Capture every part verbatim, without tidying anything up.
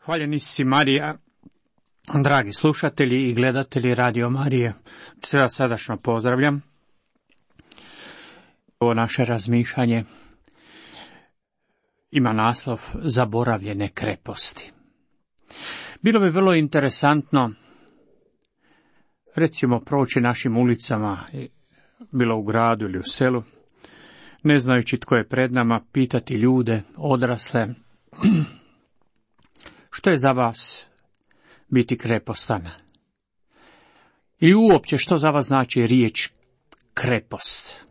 Hvaljeni si Marija, dragi slušatelji i gledatelji Radio Marije, sve vas srdačno pozdravljam. Ovo naše razmišljanje ima naslov Zaboravljene kreposti. Bilo bi vrlo interesantno, recimo, proći našim ulicama, bilo u gradu ili u selu, ne znajući tko je pred nama, pitati ljude, odrasle, što je za vas biti krepostan? Ili uopće što za vas znači riječ krepost?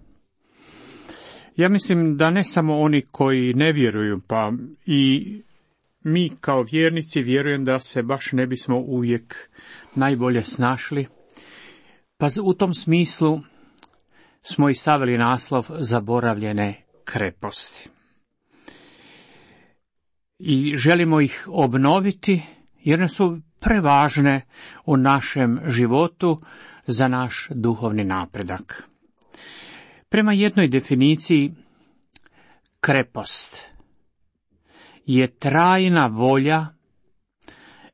Ja mislim da ne samo oni koji ne vjeruju, pa i mi kao vjernici vjerujem da se baš ne bismo uvijek najbolje snašli, pa u tom smislu smo i stavili naslov Zaboravljene kreposti. I želimo ih obnoviti jer ne su prevažne u našem životu za naš duhovni napredak. Prema jednoj definiciji, krepost je trajna volja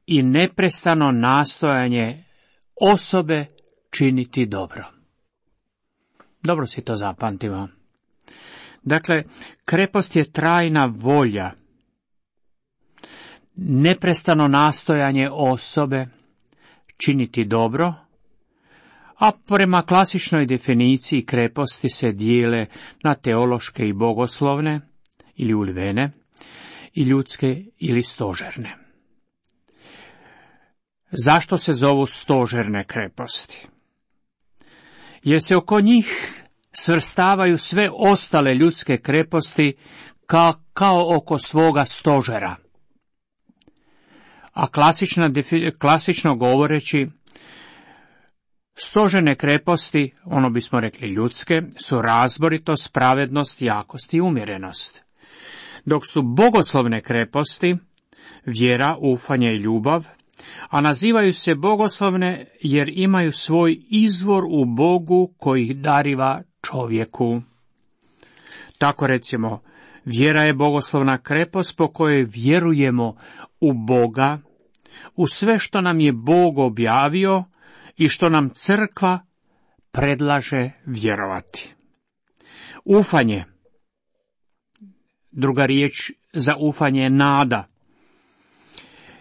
i neprestano nastojanje osobe činiti dobro. Dobro si to zapamtimo. Dakle, krepost je trajna volja, neprestano nastojanje osobe činiti dobro, a prema klasičnoj definiciji kreposti se dijele na teološke i bogoslovne ili ulivene i ljudske ili stožerne. Zašto se zovu stožerne kreposti? Jer se oko njih svrstavaju sve ostale ljudske kreposti kao, kao oko svoga stožera. A klasična, klasično govoreći, stožerne kreposti, ono bismo rekli ljudske, su razboritost, pravednost, jakost i umjerenost. Dok su bogoslovne kreposti vjera, ufanje i ljubav, a nazivaju se bogoslovne jer imaju svoj izvor u Bogu koji ih dariva čovjeku. Tako recimo, vjera je bogoslovna krepost po kojoj vjerujemo u Boga, u sve što nam je Bog objavio i što nam crkva predlaže vjerovati. Ufanje, druga riječ za ufanje je nada,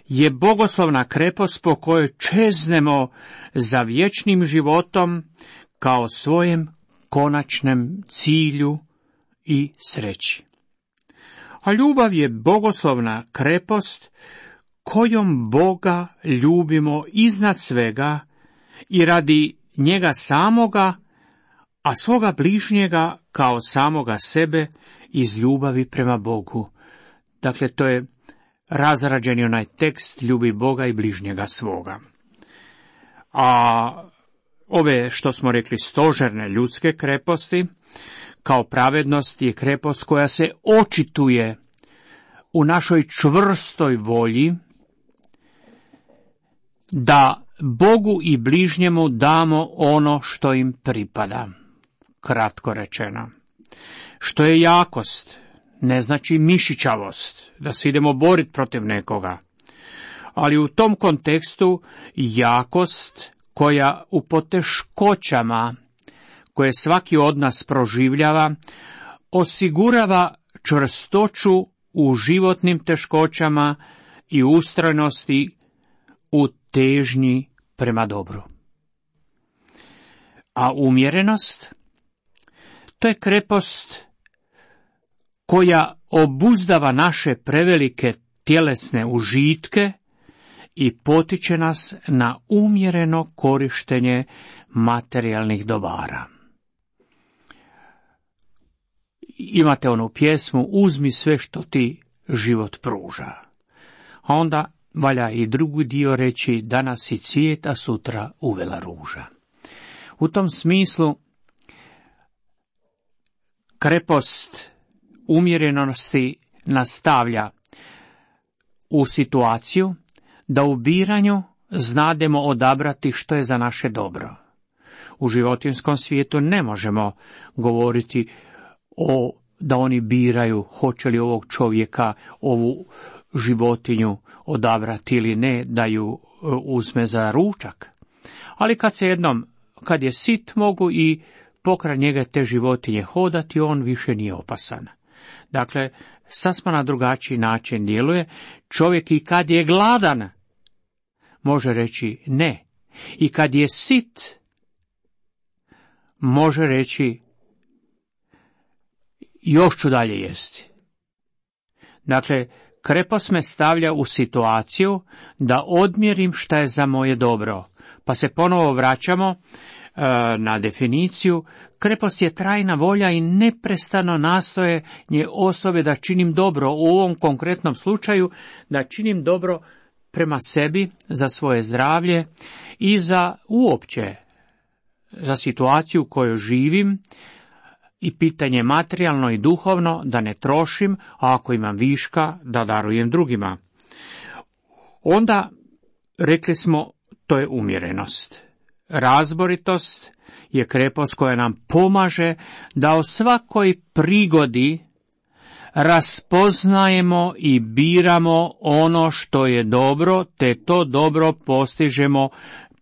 je bogoslovna krepost po kojoj čeznemo za vječnim životom kao svojem konačnem cilju i sreći. A ljubav je bogoslovna krepost kojom Boga ljubimo iznad svega i radi njega samoga, a svoga bližnjega kao samoga sebe iz ljubavi prema Bogu. Dakle, to je razrađeni onaj tekst ljubi Boga i bližnjega svoga. A ove, što smo rekli, stožerne ljudske kreposti, kao pravednost, je krepost koja se očituje u našoj čvrstoj volji da Bogu i bližnjemu damo ono što im pripada. Kratko rečeno. Što je jakost, ne znači mišićavost, da se idemo boriti protiv nekoga. Ali u tom kontekstu jakost koja u poteškoćama, koje svaki od nas proživljava, osigurava čvrstoću u životnim teškoćama i ustrajnosti u težnji prema dobru. A umjerenost, to je krepost koja obuzdava naše prevelike tjelesne užitke i potiče nas na umjereno korištenje materijalnih dobara. Imate onu pjesmu Uzmi sve što ti život pruža. A onda valja i drugi dio reći danas si cvijet, a sutra uvela ruža. U tom smislu krepost umjerenosti nastavlja u situaciju da u biranju znademo odabrati što je za naše dobro. U životinjskom svijetu ne možemo govoriti o da oni biraju hoće li ovog čovjeka, ovu životinju odabrati ili ne, da ju uzme za ručak. Ali kad se jednom, kad je sit, mogu i pokraj njega te životinje hodati, on više nije opasan. Dakle, sasma na drugačiji način djeluje. Čovjek i kad je gladan, može reći ne. I kad je sit, može reći još ću dalje jesti. Dakle, krepost me stavlja u situaciju da odmjerim šta je za moje dobro. Pa se ponovo vraćamo e, na definiciju. Krepost je trajna volja i neprestano nastojanje osobe da činim dobro, u ovom konkretnom slučaju da činim dobro prema sebi, za svoje zdravlje i za uopće, za situaciju u kojoj živim i pitanje materijalno i duhovno da ne trošim, a ako imam viška da darujem drugima. Onda, rekli smo, to je umjerenost. Razboritost je krepost koja nam pomaže da o svakoj prigodi raspoznajemo i biramo ono što je dobro, te to dobro postižemo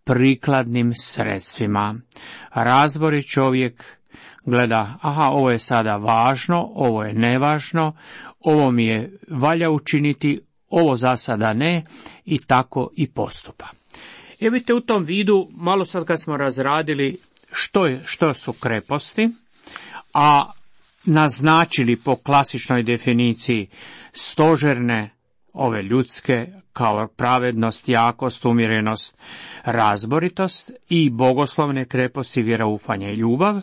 prikladnim sredstvima. Razborit čovjek gleda, aha, ovo je sada važno, ovo je nevažno, ovo mi je valja učiniti, ovo za sada ne, i tako i postupa. Evo vidite, u tom vidu, malo sad kad smo razradili što, je, što su kreposti, a naznačili po klasičnoj definiciji stožerne, ove ljudske, kao pravednost, jakost, umjerenost, razboritost, i bogoslovne kreposti, vjeroufanje i ljubav.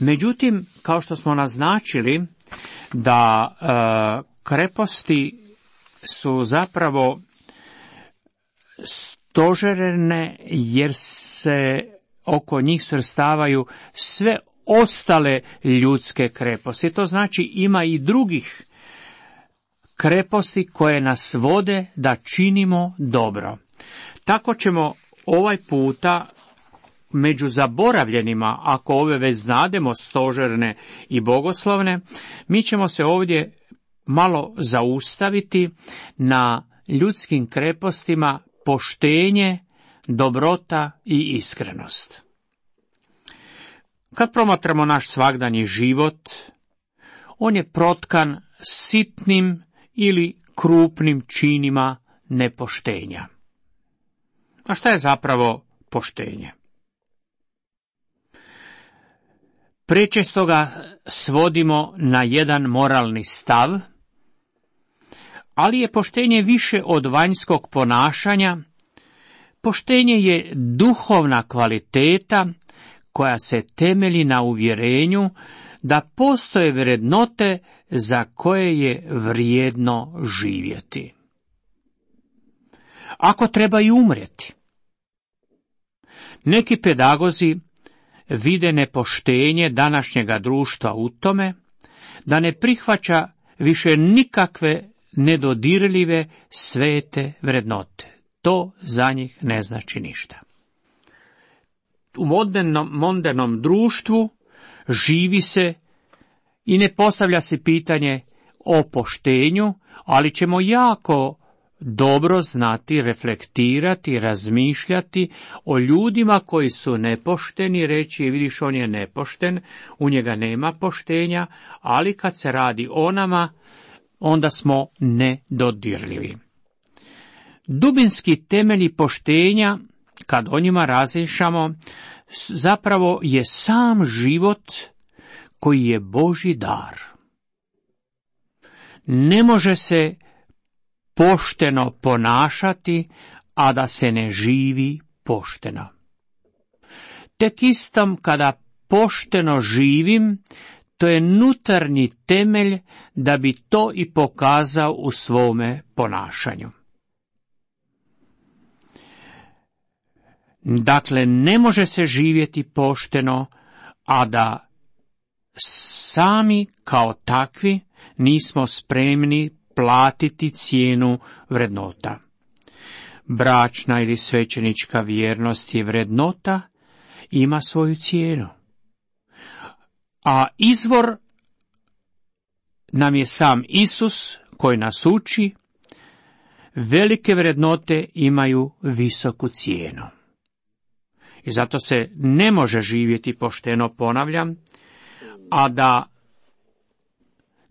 Međutim, kao što smo naznačili da e, kreposti su zapravo stožerne jer se oko njih svrstavaju sve ostale ljudske kreposti. To znači ima i drugih kreposti koje nas vode da činimo dobro. Tako ćemo ovaj puta među zaboravljenima, ako ove već znademo, stožerne i bogoslovne, mi ćemo se ovdje malo zaustaviti na ljudskim krepostima poštenje, dobrota i iskrenost. Kad promatramo naš svagdanji život, on je protkan sitnim ili krupnim činima nepoštenja. A šta je zapravo poštenje? Prečesto ga svodimo na jedan moralni stav, ali je poštenje više od vanjskog ponašanja. Poštenje je duhovna kvaliteta koja se temelji na uvjerenju da postoje vrednote za koje je vrijedno živjeti. Ako treba i umrijeti. Neki pedagozi vide nepoštenje današnjega društva u tome da ne prihvaća više nikakve nedodirljive svete vrednote. To za njih ne znači ništa. U modernom, modernom društvu živi se i ne postavlja se pitanje o poštenju, ali ćemo jako dobro znati, reflektirati, razmišljati o ljudima koji su nepošteni, reći vidiš on je nepošten, u njega nema poštenja, ali kad se radi o nama, onda smo nedodirljivi. Dubinski temelji poštenja, kad o njima razmišljamo, zapravo je sam život koji je Božji dar. Ne može se pošteno ponašati, a da se ne živi pošteno. Tek istom kada pošteno živim, to je nutarnji temelj da bi to i pokazao u svome ponašanju. Dakle, ne može se živjeti pošteno, a da sami kao takvi nismo spremni platiti cijenu vrednota. Bračna ili svećenička vjernost je vrednota, ima svoju cijenu. A izvor nam je sam Isus koji nas uči, velike vrednote imaju visoku cijenu. I zato se ne može živjeti pošteno, ponavljam, a da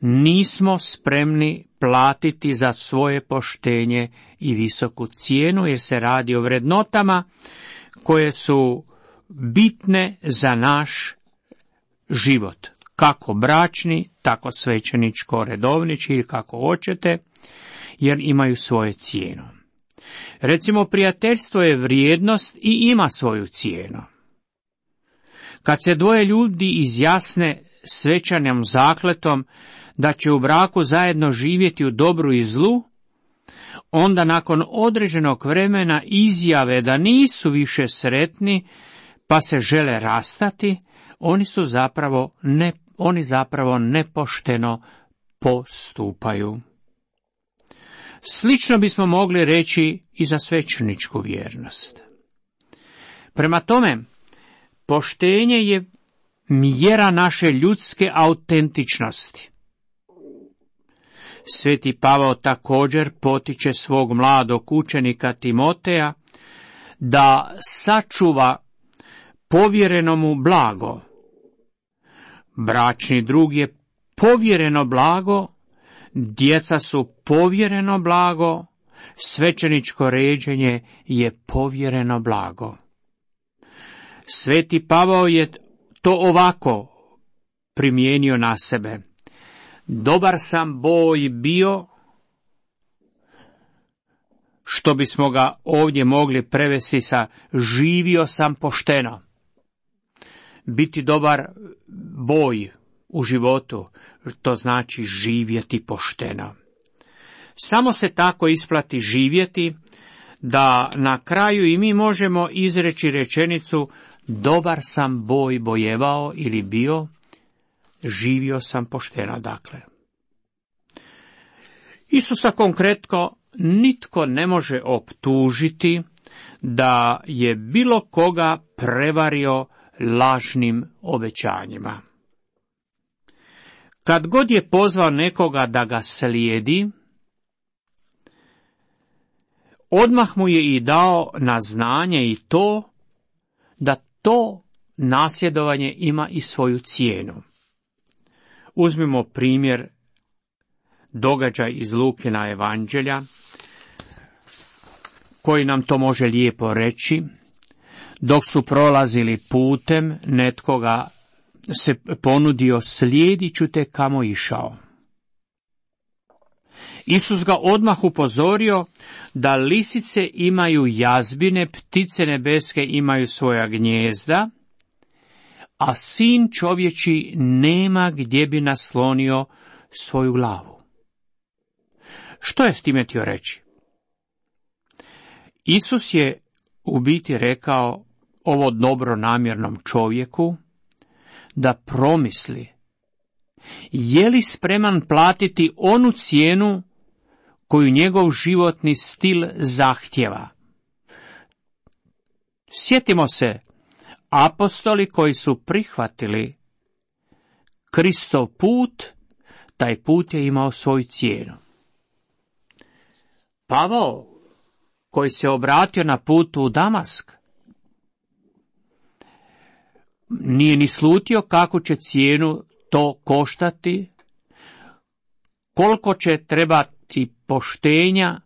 nismo spremni platiti za svoje poštenje i visoku cijenu, jer se radi o vrednotama koje su bitne za naš život, kako bračni, tako svećeničko redovnički ili kako hoćete, jer imaju svoje cijenu. Recimo, prijateljstvo je vrijednost i ima svoju cijenu. Kad se dvoje ljudi izjasne svečanom zakletom da će u braku zajedno živjeti u dobru i zlu, onda nakon određenog vremena izjave da nisu više sretni pa se žele rastati, oni su zapravo ne, oni zapravo nepošteno postupaju. Slično bismo mogli reći i za svećeničku vjernost. Prema tome, poštenje je mjera naše ljudske autentičnosti. Sveti Pavao također potiče svog mladog učenika Timoteja da sačuva povjereno mu blago. Bračni drug je povjereno blago, djeca su povjereno blago, svećeničko ređenje je povjereno blago. Sveti Pavao je to ovako primijenio na sebe. Dobar sam boj bio, što bismo ga ovdje mogli prevesti sa živio sam pošteno. Biti dobar boj u životu, to znači živjeti pošteno. Samo se tako isplati živjeti, da na kraju i mi možemo izreći rečenicu dobar sam boj bojevao ili bio, živio sam pošteno, dakle. Isusa konkretno nitko ne može optužiti da je bilo koga prevario lažnim obećanjima. Kad god je pozvao nekoga da ga slijedi, odmah mu je i dao na znanje i to da to nasljedovanje ima i svoju cijenu. Uzmimo primjer događaj iz Lukina evanđelja, koji nam to može lijepo reći. Dok su prolazili putem, netko ga se ponudio, slijedit ću te kamo išao. Isus ga odmah upozorio da lisice imaju jazbine, ptice nebeske imaju svoja gnijezda, a sin čovječi nema gdje bi naslonio svoju glavu. Što je time htio reći? Isus je u biti rekao ovo dobronamjernom čovjeku da promisli je li spreman platiti onu cijenu koju njegov životni stil zahtjeva. Sjetimo se apostoli koji su prihvatili Kristov put, taj put je imao svoju cijenu. Pavao, koji se obratio na putu u Damask, nije ni slutio kako će cijenu to koštati, koliko će trebati poštenja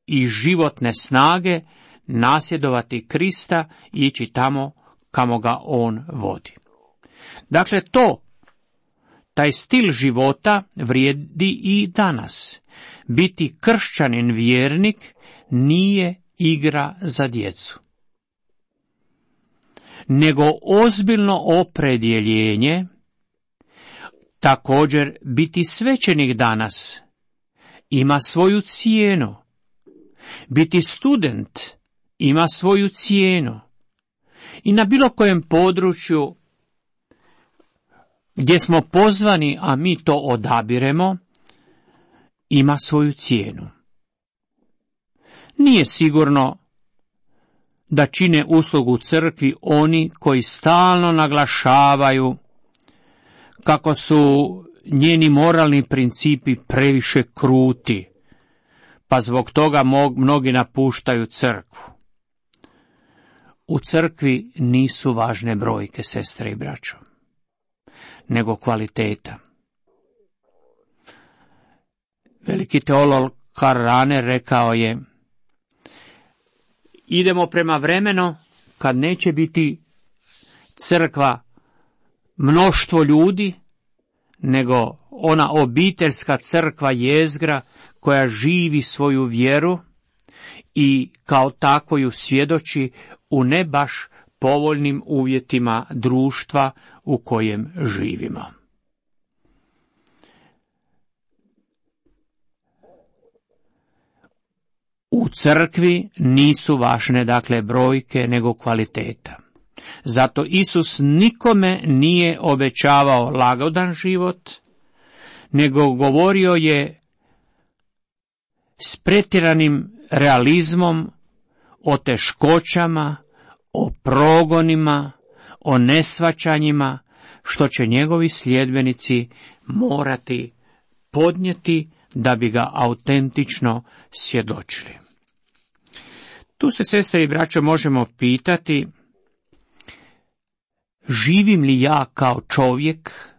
i životne snage nasljedovati Krista i ići tamo kamo ga on vodi. Dakle, to, taj stil života vrijedi i danas. Biti kršćanin vjernik nije igra za djecu, nego ozbiljno opredjeljenje. Također, biti svećenik danas ima svoju cijenu. Biti student ima svoju cijenu. I na bilo kojem području gdje smo pozvani, a mi to odabiremo, ima svoju cijenu. Nije sigurno da čine uslugu crkvi oni koji stalno naglašavaju kako su njeni moralni principi previše kruti, pa zbog toga mnogi napuštaju crkvu. U crkvi nisu važne brojke, sestre i braćo, nego kvaliteta. Veliki teolog Karl Rahner rekao je: idemo prema vremenu kad neće biti crkva mnoštvo ljudi, nego ona obiteljska crkva jezgra koja živi svoju vjeru i kao tako ju svjedoči u ne baš povoljnim uvjetima društva u kojem živimo. U crkvi nisu važne, dakle, brojke, nego kvaliteta. Zato Isus nikome nije obećavao lagodan život, nego govorio je s pretjeranim realizmom o teškoćama, o progonima, o nesvaćanjima, što će njegovi sljedbenici morati podnijeti da bi ga autentično svjedočili. Tu se, sestre i braćo, možemo pitati: živim li ja kao čovjek,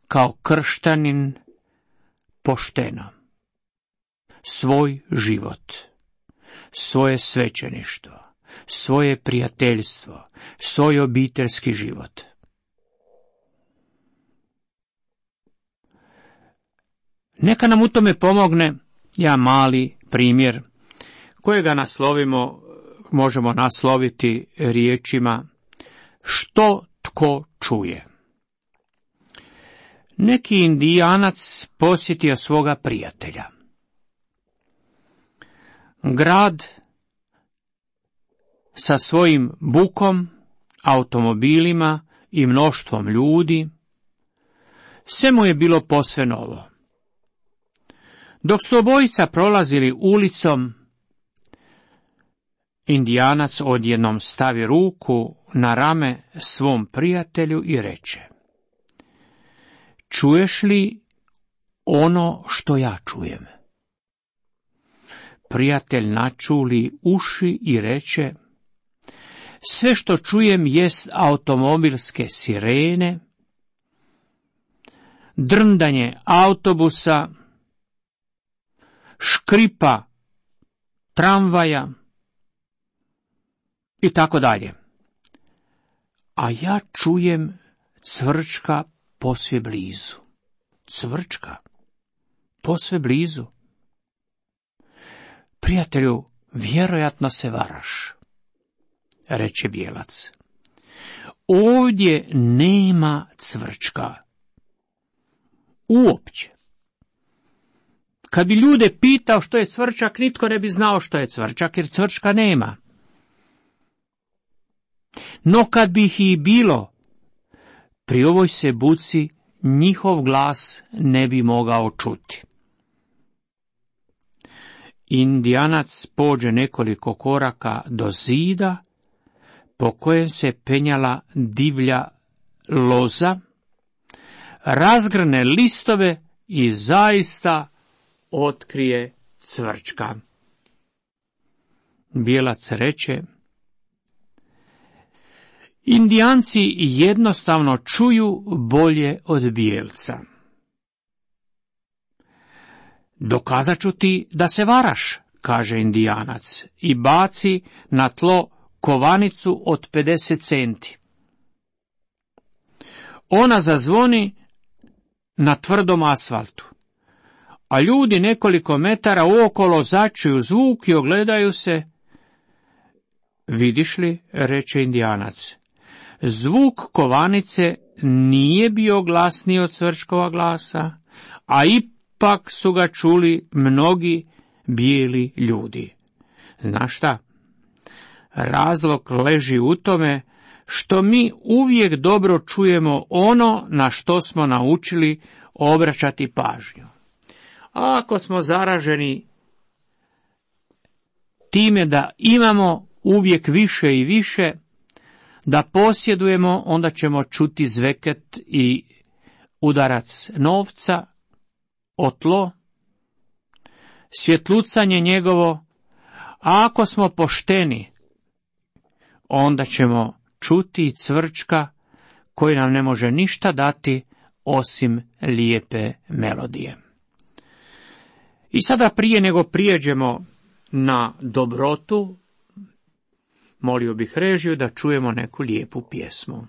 kao kršćanin, pošteno svoj život, svoje svećeništvo, svoje prijateljstvo, svoj obiteljski život? Neka nam u tome pomogne jedan mali primjer kojega naslovimo, možemo nasloviti riječima: što tko čuje. Neki Indijanac posjetio svoga prijatelja. Grad sa svojim bukom, automobilima i mnoštvom ljudi, sve mu je bilo posve novo. Dok su obojica prolazili ulicom, Indijanac odjednom stavi ruku na rame svom prijatelju i reče: čuješ li ono što ja čujem? Prijatelj načuli uši i reče: sve što čujem jest automobilske sirene, drndanje autobusa, škripa tramvaja i tako dalje. A ja čujem cvrčka posve blizu. Cvrčka posve blizu. Prijatelju, vjerojatno se varaš, reče bijelac. Ovdje nema cvrčka. Uopće. Kad bi ljude pitao što je cvrčak, nitko ne bi znao što je cvrčak, jer cvrčka nema. No kad bi ih i bilo, pri ovoj se buci njihov glas ne bi mogao čuti. Indijanac pođe nekoliko koraka do zida, po kojem se penjala divlja loza, razgrne listove i zaista otkrije cvrčka. Bijelac reče: Indijanci jednostavno čuju bolje od bijelca. Dokazat ću ti da se varaš, kaže Indijanac i baci na tlo kovanicu od pedeset centi. Ona zazvoni na tvrdom asfaltu, a ljudi nekoliko metara uokolo začuju zvuk i ogledaju se. Vidiš li, reče Indijanac, zvuk kovanice nije bio glasniji od cvrčkova glasa, a ipak su ga čuli mnogi bijeli ljudi. Znaš šta? Razlog leži u tome što mi uvijek dobro čujemo ono na što smo naučili obraćati pažnju. A ako smo zaraženi time da imamo uvijek više i više, da posjedujemo, onda ćemo čuti zveket i udarac novca o tlo, svjetlucanje njegovo, a ako smo pošteni, onda ćemo čuti cvrčka koji nam ne može ništa dati osim lijepe melodije. I sada prije nego prijeđemo na dobrotu, molio bih režiju da čujemo neku lijepu pjesmu.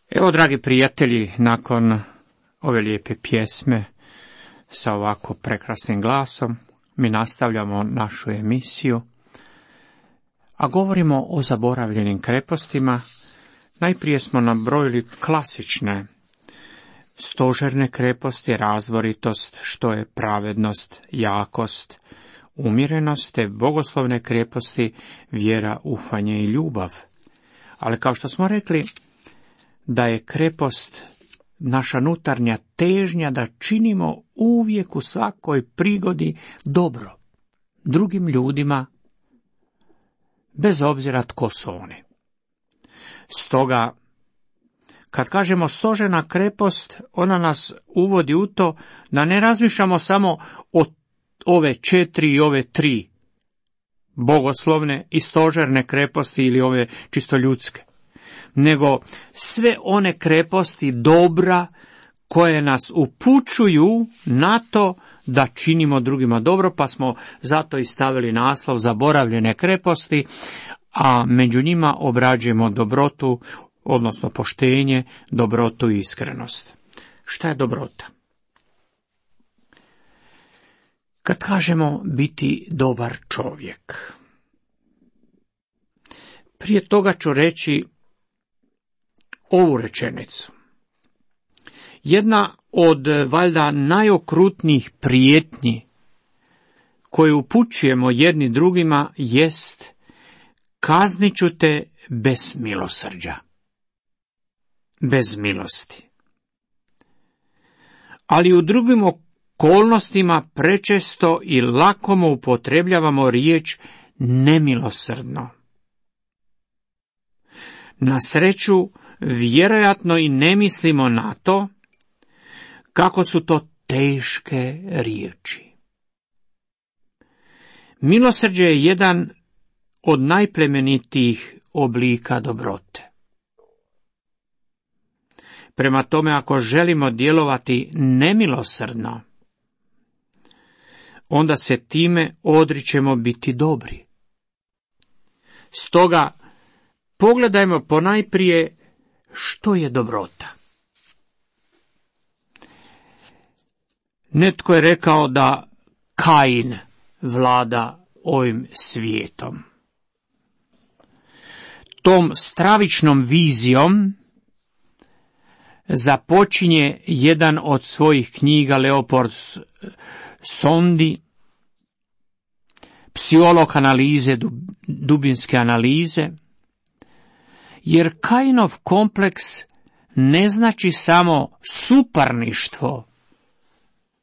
Evo, dragi prijatelji, nakon ove lijepe pjesme sa ovako prekrasnim glasom, mi nastavljamo našu emisiju, a govorimo o zaboravljenim krepostima. Najprije smo nabrojili klasične stožerne kreposti, razboritost, što je pravednost, jakost, umjerenost, te bogoslovne kreposti, vjera, ufanje i ljubav. Ali kao što smo rekli, da je krepost naša unutarnja težnja da činimo uvijek u svakoj prigodi dobro drugim ljudima, bez obzira tko su oni. Stoga, kad kažemo stožerna krepost, ona nas uvodi u to da ne razmišljamo samo o ove četiri i ove tri bogoslovne i stožerne kreposti ili ove čisto ljudske, nego sve one kreposti dobra koje nas upućuju na to da činimo drugima dobro, pa smo zato i stavili naslov zaboravljene kreposti, a među njima obrađujemo dobrotu, odnosno poštenje, dobrotu i iskrenost. Šta je dobrota? Kad kažemo biti dobar čovjek, prije toga ću reći ovu rečenicu. Jedna od valjda najokrutnijih prijetnji koje upućujemo jedni drugima jest: kaznit ću te bez milosrđa, bez milosti. Ali u drugim okolnostima prečesto i lakomo upotrebljavamo riječ nemilosrdno. Na sreću, vjerojatno i ne mislimo na to kako su to teške riječi. Milosrđe je jedan od najplemenitijih oblika dobrote. Prema tome, ako želimo djelovati nemilosrdno, onda se time odričemo biti dobri. Stoga, pogledajmo ponajprije što je dobrota. Netko je rekao da Kain vlada ovim svijetom. Tom stravičnom vizijom započinje jedan od svojih knjiga Leopold Sondi, psiholog analize, dubinske analize, jer Kainov kompleks ne znači samo suparništvo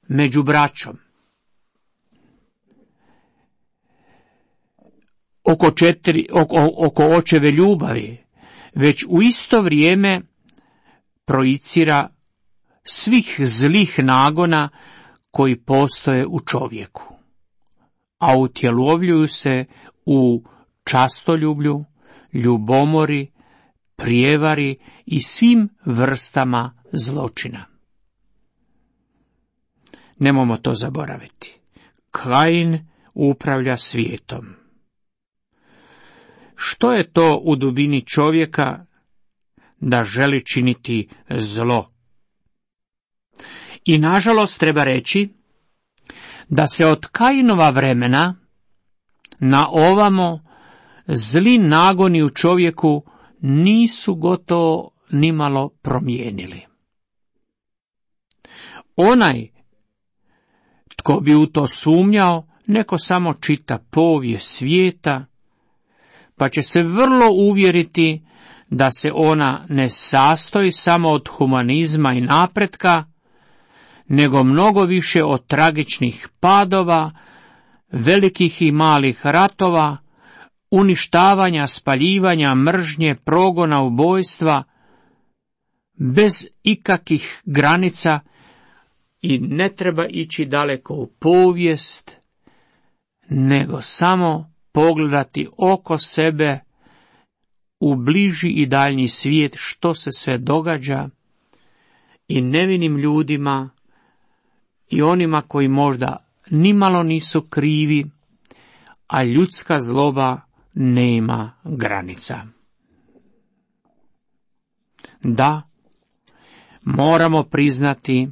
među braćom. Oko, četiri, oko, oko očeve ljubavi, već u isto vrijeme projicira svih zlih nagona koji postoje u čovjeku, a utjelovljuju se u častoljublju, ljubomori, prijevari i svim vrstama zločina. Nemojmo to zaboraviti. Kain upravlja svijetom. Što je to u dubini čovjeka da želi činiti zlo? I nažalost treba reći da se od Kainova vremena na ovamo zli nagoni u čovjeku nisu gotovo nimalo promijenili. Onaj tko bi u to sumnjao, neko samo čita povijest svijeta, pa će se vrlo uvjeriti da se ona ne sastoji samo od humanizma i napretka, nego mnogo više od tragičnih padova, velikih i malih ratova, uništavanja, spaljivanja, mržnje, progona, ubojstva, bez ikakvih granica, i ne treba ići daleko u povijest, nego samo pogledati oko sebe u bliži i daljnji svijet što se sve događa i nevinim ljudima i onima koji možda nimalo nisu krivi, a ljudska zloba nema granica. Da, moramo priznati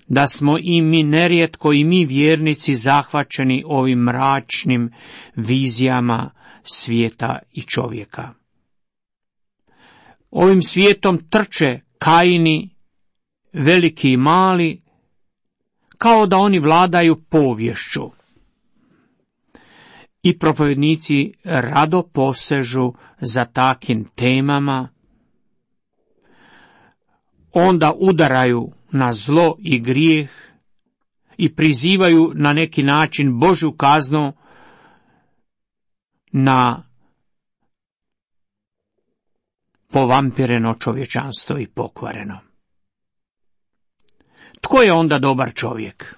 da smo i mi nerijetko i mi vjernici zahvaćeni ovim mračnim vizijama svijeta i čovjeka. Ovim svijetom trče Kaini, veliki i mali, kao da oni vladaju poviješću. I propovjednici rado posežu za takim temama, onda udaraju na zlo i grijeh i prizivaju na neki način Božju kaznu na povampireno čovječanstvo i pokvareno. Tko je onda dobar čovjek?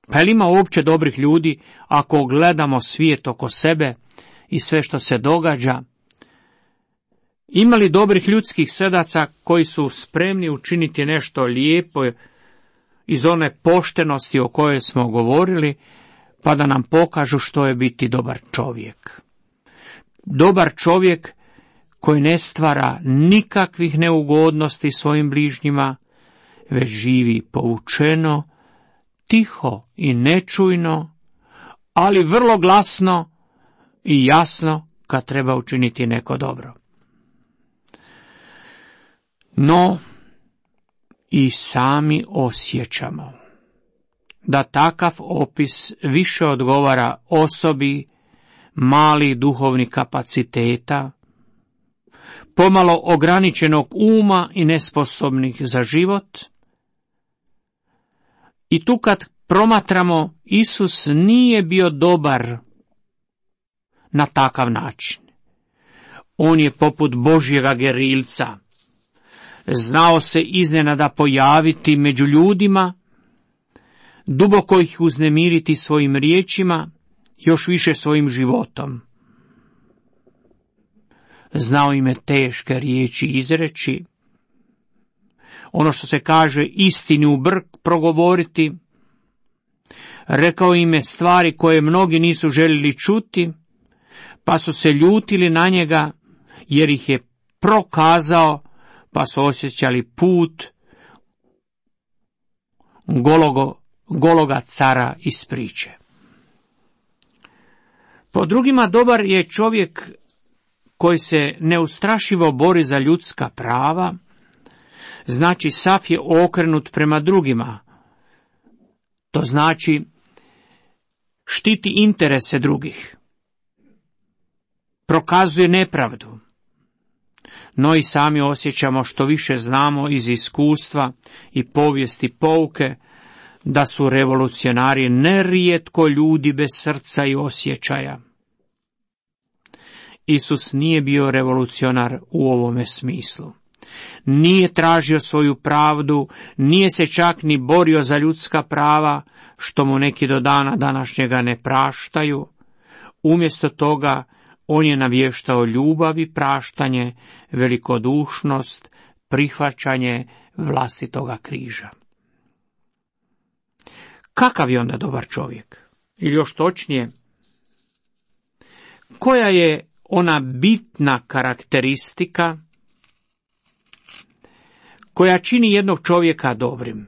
Pa li ima uopće dobrih ljudi ako gledamo svijet oko sebe i sve što se događa? Ima li dobrih ljudskih srdaca koji su spremni učiniti nešto lijepo iz one poštenosti o kojoj smo govorili, pa da nam pokažu što je biti dobar čovjek? Dobar čovjek koji ne stvara nikakvih neugodnosti svojim bližnjima, već živi poučeno, tiho i nečujno, ali vrlo glasno i jasno kad treba učiniti neko dobro. No, i sami osjećamo da takav opis više odgovara osobi malih duhovnih kapaciteta, pomalo ograničenog uma i nesposobnih za život. I tu kad promatramo, Isus nije bio dobar na takav način. On je poput Božjega gerilca. Znao se iznenada pojaviti među ljudima, duboko ih uznemiriti svojim riječima, još više svojim životom. znao im je teške riječi izreći, ono što se kaže istini u brk progovoriti, rekao im je stvari koje mnogi nisu željeli čuti, pa su se ljutili na njega jer ih je prokazao, pa su osjećali put gologo, gologa cara iz priče. Po drugima dobar je čovjek koji se neustrašivo bori za ljudska prava, znači sav je okrenut prema drugima. To znači štiti interese drugih, prokazuje nepravdu. No i sami osjećamo, što više znamo iz iskustva i povijesti pouke, da su revolucionari nerijetko ljudi bez srca i osjećaja. Isus nije bio revolucionar u ovome smislu. Nije tražio svoju pravdu, nije se čak ni borio za ljudska prava, što mu neki do dana današnjega ne praštaju. Umjesto toga, on je navještao ljubav i praštanje, velikodušnost, prihvaćanje vlastitoga križa. Kakav je onda dobar čovjek? Ili još točnije, koja je ona bitna karakteristika koja čini jednog čovjeka dobrim?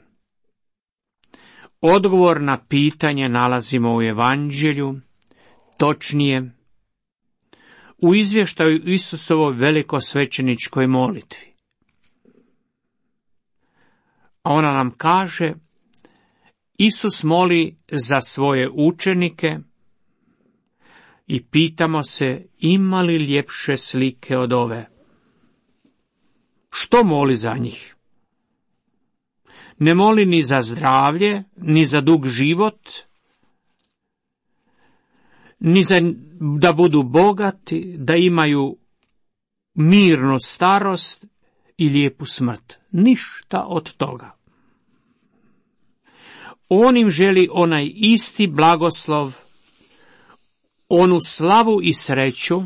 Odgovor na pitanje nalazimo u Evanđelju, točnije u izvještaju Isusovoj velikosvećeničkoj molitvi. A ona nam kaže, Isus moli za svoje učenike i pitamo se, ima li ljepše slike od ove? Što moli za njih? Ne moli ni za zdravlje, ni za dug život, ni za da budu bogati, da imaju mirnu starost i lijepu smrt. Ništa od toga. On im želi onaj isti blagoslov, onu slavu i sreću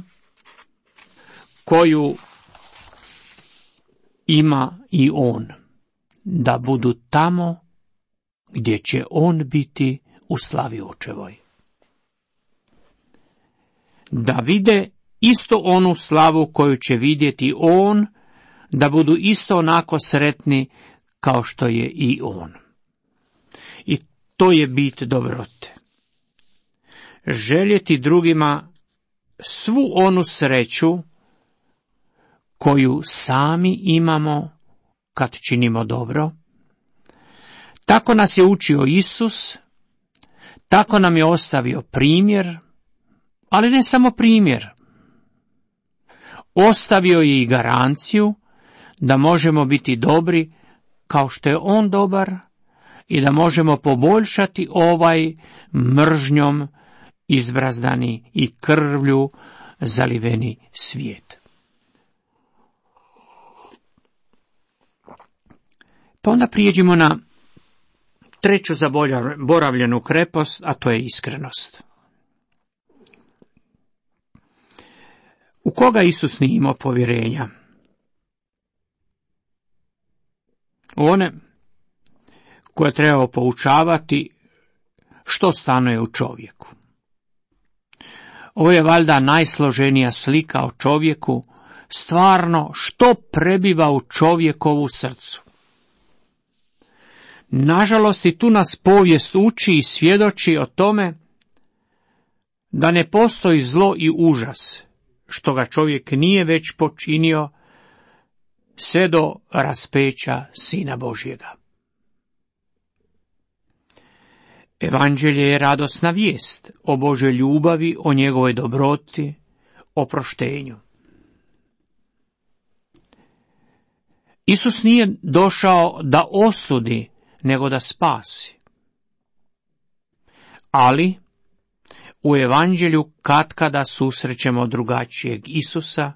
koju ima i on, da budu tamo gdje će on biti u slavi očevoj. Da vide isto onu slavu koju će vidjeti on, da budu isto onako sretni kao što je i on. I to je bit dobrote. Željeti drugima svu onu sreću koju sami imamo kad činimo dobro. Tako nas je učio Isus, tako nam je ostavio primjer, ali ne samo primjer. Ostavio je i garanciju da možemo biti dobri kao što je on dobar i da možemo poboljšati ovaj mržnjom izbrazdani i krvlju zaliveni svijet. Pa onda prijeđimo na treću zaboravljenu krepost, a to je iskrenost. U koga Isus nije imao povjerenja? U one koje treba poučavati što stanuje u čovjeku. Ovo je valjda najsloženija slika o čovjeku, stvarno što prebiva u čovjekovu srcu. Nažalost, i tu nas povijest uči i svjedoči o tome da ne postoji zlo i užas, što ga čovjek nije već počinio sve do raspeća Sina Božjega. Evanđelje je radosna vijest o Božoj ljubavi, o njegovoj dobroti, o proštenju. Isus nije došao da osudi, nego da spasi. Ali u Evanđelju katkada susrećemo drugačijeg Isusa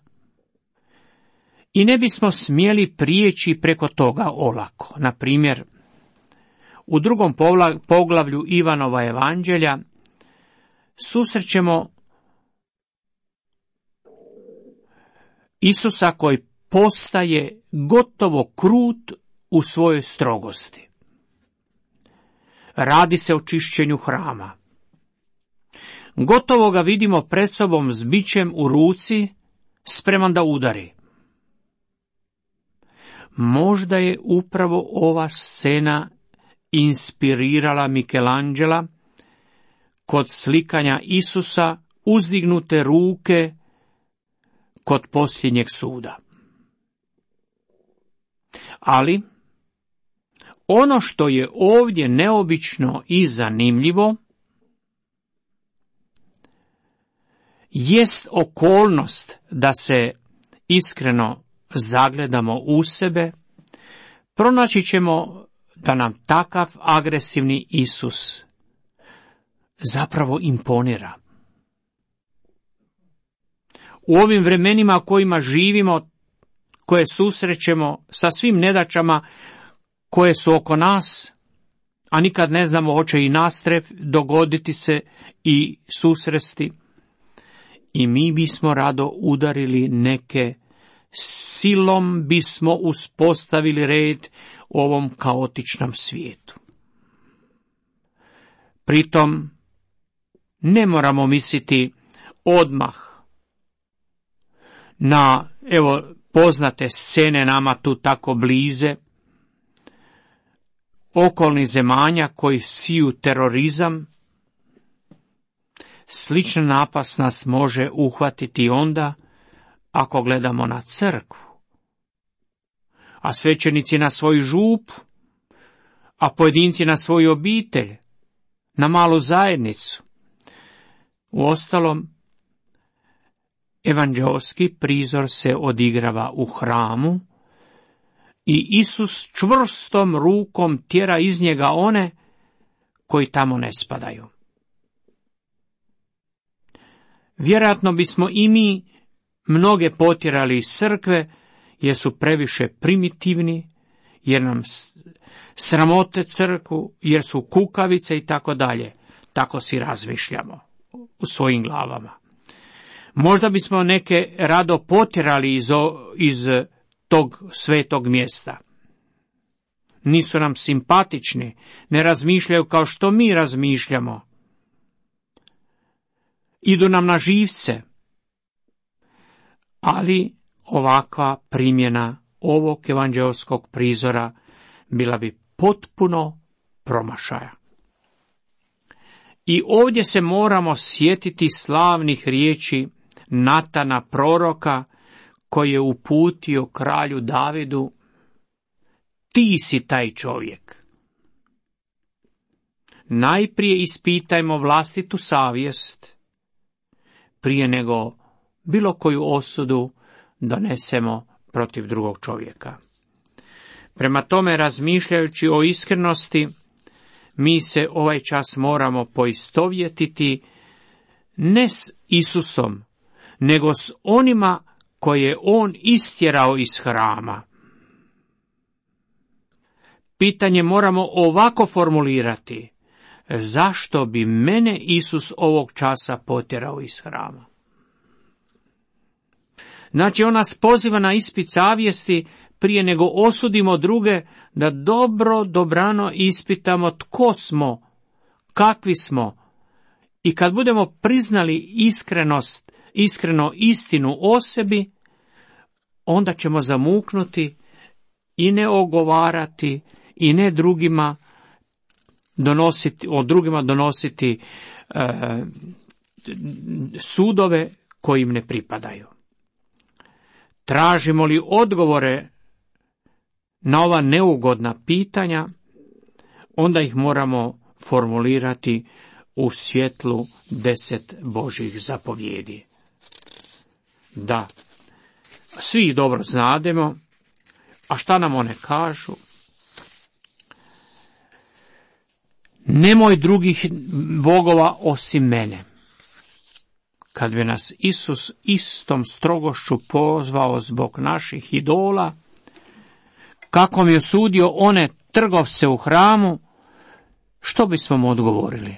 i ne bismo smjeli prijeći preko toga olako. Na primjer, u drugom poglavlju Ivanova Evanđelja Isusa koji postaje gotovo krut u svojoj strogosti. Radi se o čišćenju hrama. Gotovo ga vidimo pred sobom s bićem u ruci, spreman da udari. Možda je upravo ova scena inspirirala Michelangela kod slikanja Isusa uzdignute ruke kod posljednjeg suda. Ali ono što je ovdje neobično i zanimljivo jest okolnost da se iskreno zagledamo u sebe, pronaći ćemo da nam takav agresivni Isus zapravo imponira. U ovim vremenima kojima živimo, koje susrećemo sa svim nedaćama koje su oko nas, a nikad ne znamo hoće i nas dogoditi se i susresti, i mi bismo rado udarili neke, silom bismo uspostavili red u ovom kaotičnom svijetu. Pritom ne moramo misliti odmah na, evo, poznate scene nama tu tako blize, okolnih zemalja koji siju terorizam. Sličan napast nas može uhvatiti onda ako gledamo na crkvu, a svećenici na svoj žup, a pojedinci na svoju obitelj, na malu zajednicu. Uostalom, evanđeoski prizor se odigrava u hramu i Isus čvrstom rukom tjera iz njega one koji tamo ne spadaju. Vjerojatno bismo i mi mnoge potjerali iz crkve jer su previše primitivni, jer nam sramote crkvu, jer su kukavice i tako dalje. Tako si razmišljamo u svojim glavama. Možda bismo neke rado potjerali iz, iz tog svetog mjesta. Nisu nam simpatični, ne razmišljaju kao što mi razmišljamo. Idu nam na živce. Ali ovakva primjena ovog evanđeoskog prizora bila bi potpuno promašaja. I ovdje se moramo sjetiti slavnih riječi Natana proroka koji je uputio kralju Davidu: ti si taj čovjek. Najprije ispitajmo vlastitu savjest prije nego bilo koju osudu donesemo protiv drugog čovjeka. Prema tome, razmišljajući o iskrenosti, mi se ovaj čas moramo poistovjetiti ne s Isusom, nego s onima koje je on istjerao iz hrama. Pitanje moramo ovako formulirati: zašto bi mene Isus ovog časa potjerao iz hrama? Znači, on nas poziva na ispit savjesti prije nego osudimo druge, da dobro, dobrano ispitamo tko smo, kakvi smo, i kad budemo priznali iskrenost, iskreno istinu o sebi, onda ćemo zamuknuti i ne ogovarati i ne drugima donositi, o drugima donositi e, sudove koji im ne pripadaju. Tražimo li odgovore na ova neugodna pitanja, onda ih moramo formulirati u svjetlu deset Božjih zapovjedi. Da, svi ih dobro znademo, a šta nam one kažu? Nemoj drugih bogova osim mene. Kad bi nas Isus istom strogošću pozvao zbog naših idola, kako mi je osudio one trgovce u hramu, što bismo mu odgovorili?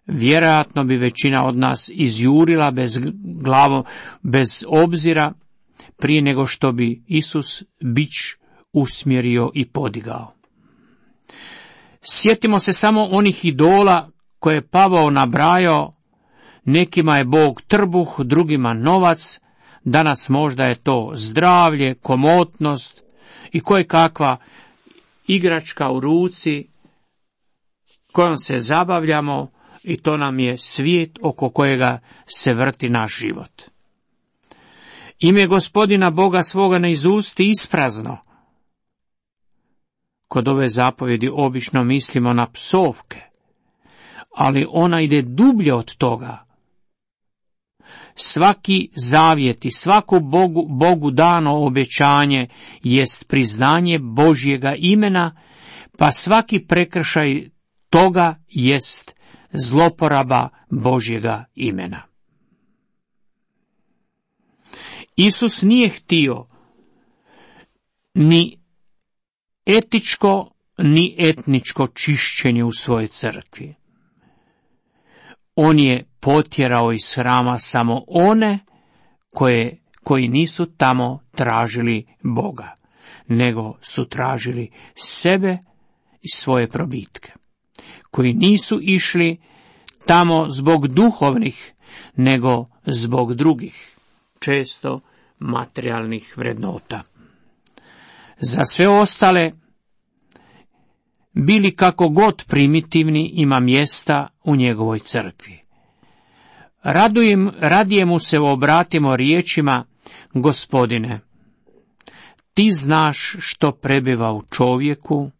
Vjerojatno bi većina od nas izjurila bez glavom, bez obzira, prije nego što bi Isus bič usmjerio i podigao. Sjetimo se samo onih idola koje je Pavao nabrajao. Nekima je Bog trbuh, drugima novac, danas možda je to zdravlje, komotnost i koje kakva igračka u ruci kojom se zabavljamo i to nam je svijet oko kojega se vrti naš život. Ime Gospodina Boga svoga ne izusti isprazno. Kod ove zapovjedi obično mislimo na psovke, ali ona ide dublje od toga. Svaki zavjet i svako Bogu, Bogu dano obećanje jest priznanje Božjega imena, pa svaki prekršaj toga jest zloporaba Božjega imena. Isus nije htio ni etičko ni etničko čišćenje u svojoj crkvi. On je potjerao iz hrama samo one koje, koji nisu tamo tražili Boga, nego su tražili sebe i svoje probitke, koji nisu išli tamo zbog duhovnih, nego zbog drugih, često materijalnih vrednota. Za sve ostale, bili kako god primitivni, ima mjesta u njegovoj crkvi. Radujem, radije mu se obratimo riječima: Gospodine, ti znaš što prebiva u čovjeku,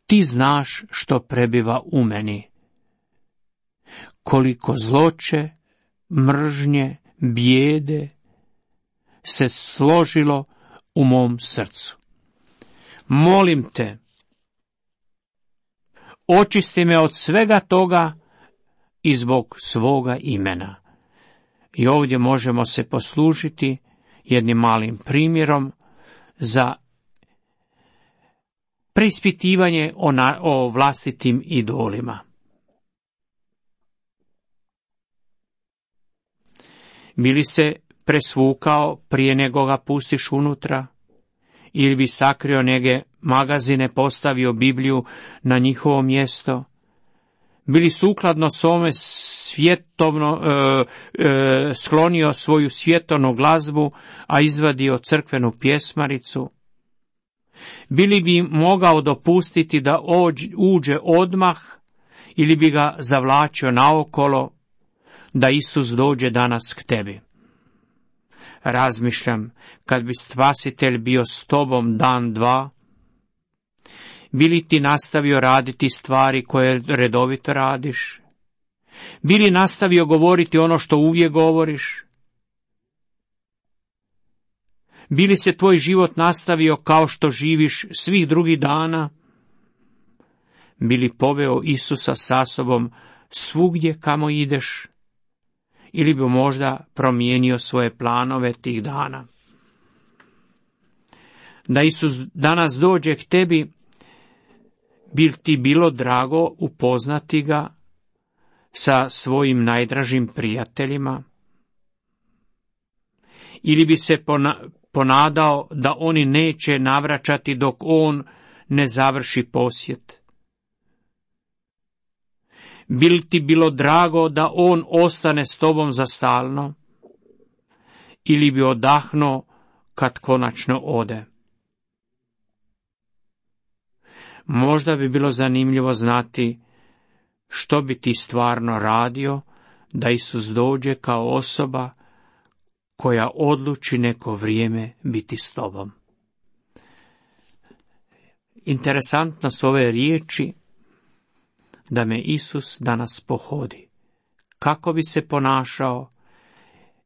ti znaš što prebiva u meni. Koliko zloće, mržnje, bijede se složilo u mom srcu. Molim te, očisti me od svega toga i zbog svoga imena. I ovdje možemo se poslužiti jednim malim primjerom za preispitivanje o, na, o vlastitim idolima. Bi li se presvukao prije nego ga pustiš unutra? Ili bi sakrio neke magazine, postavio Bibliju na njihovo mjesto? Bili sukladno svome svjetovno, e, e, sklonio svoju svjetovnu glazbu, a izvadio crkvenu pjesmaricu? Bili bi mogao dopustiti da ođ, uđe odmah, ili bi ga zavlačio naokolo, da Isus dođe danas k tebi? Razmišljam, kad bi Spasitelj bio s tobom dan, dva, bi li ti nastavio raditi stvari koje redovito radiš? Bi li nastavio govoriti ono što uvijek govoriš? Bi li se tvoj život nastavio kao što živiš svih drugih dana? Bi li poveo Isusa sa sobom svugdje kamo ideš? Ili bi možda promijenio svoje planove tih dana? Da Isus danas dođe k tebi, bi ti bilo drago upoznati ga sa svojim najdražim prijateljima? Ili bi se ponadao da oni neće navraćati dok on ne završi posjet? Bi li ti bilo drago da on ostane s tobom za stalno? Ili bi odahnuo kad konačno ode? Možda bi bilo zanimljivo znati što bi ti stvarno radio da Isus dođe kao osoba koja odluči neko vrijeme biti s tobom. Interesantno su ove riječi: da me Isus danas pohodi. Kako bi se ponašao?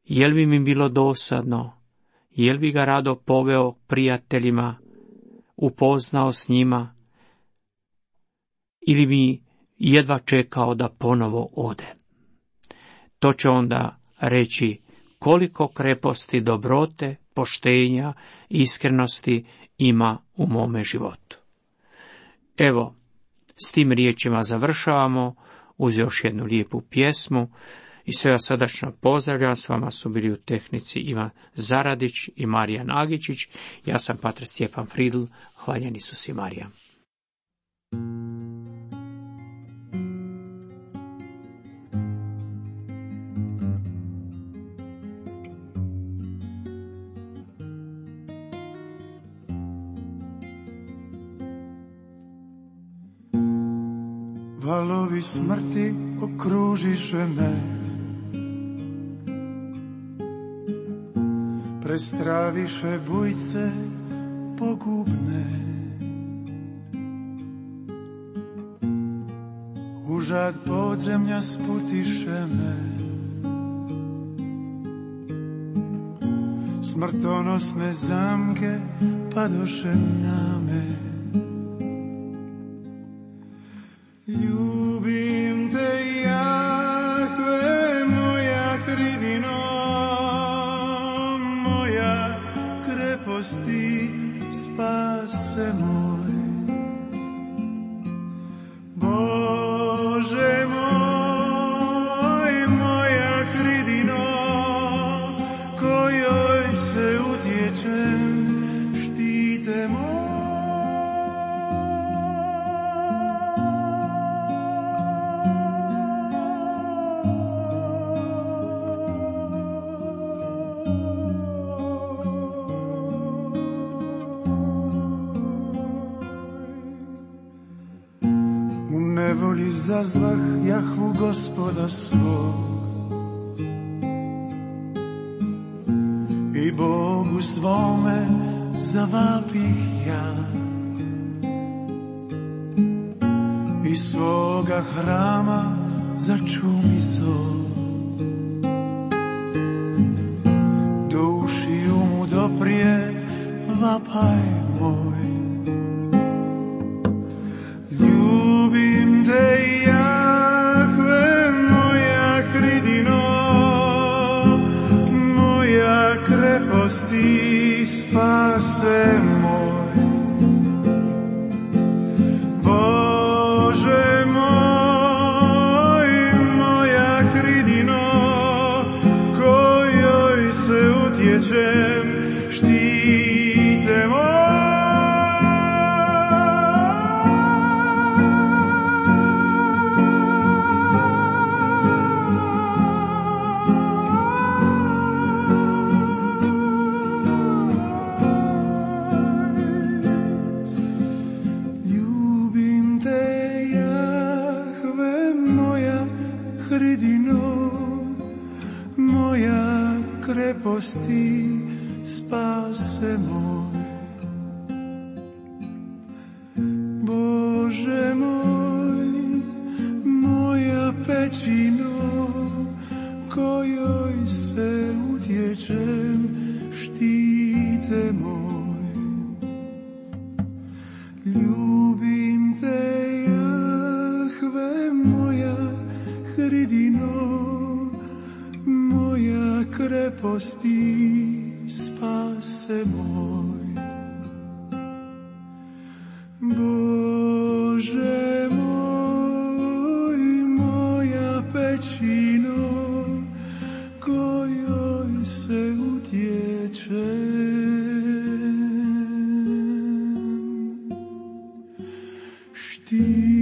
Jel bi mi bilo dosadno? Jel bi ga rado poveo prijateljima, upoznao s njima? Ili bi jedva čekao da ponovo ode? To će onda reći koliko kreposti, dobrote, poštenja, iskrenosti ima u mome životu. Evo, s tim riječima završavamo uz još jednu lijepu pjesmu I sve vas srdačno pozdravljam, s vama su bili u tehnici Ivan Zaradić i Marija Nagičić. Ja sam pater Stjepan Fridl, hvaljen Isus i Marija. Valovi smrti okružiše me, prestraviše bujce pogubne. Užad podzemlja sputiše me, smrtonosne zamke padoše na me. Ljubim te, Jahve, moja hridino, moja kreposti, spase moj. Bože moj, moja hridino, kojoj se utječem, štite moj. Nevoli zazvah Jahvu Gospoda svog i Bogu svome zavapih ja. Iz svoga hrama začumi zov, do ušiju mu doprije vapaj moj. Ljubim te, Jahve, moja hridino, moja kreposti, spase moj. Bože moj, moja hridino, kojoj se utječem, štite moj. Kreposti, spase moj. Bože moj, moja pećino, kojoj se utječem, štite moj. Ljubim te, Jahve, moja hridino, moja kreposti, spase moj. Bože moj, moja pećino, kojoj se utječem, štite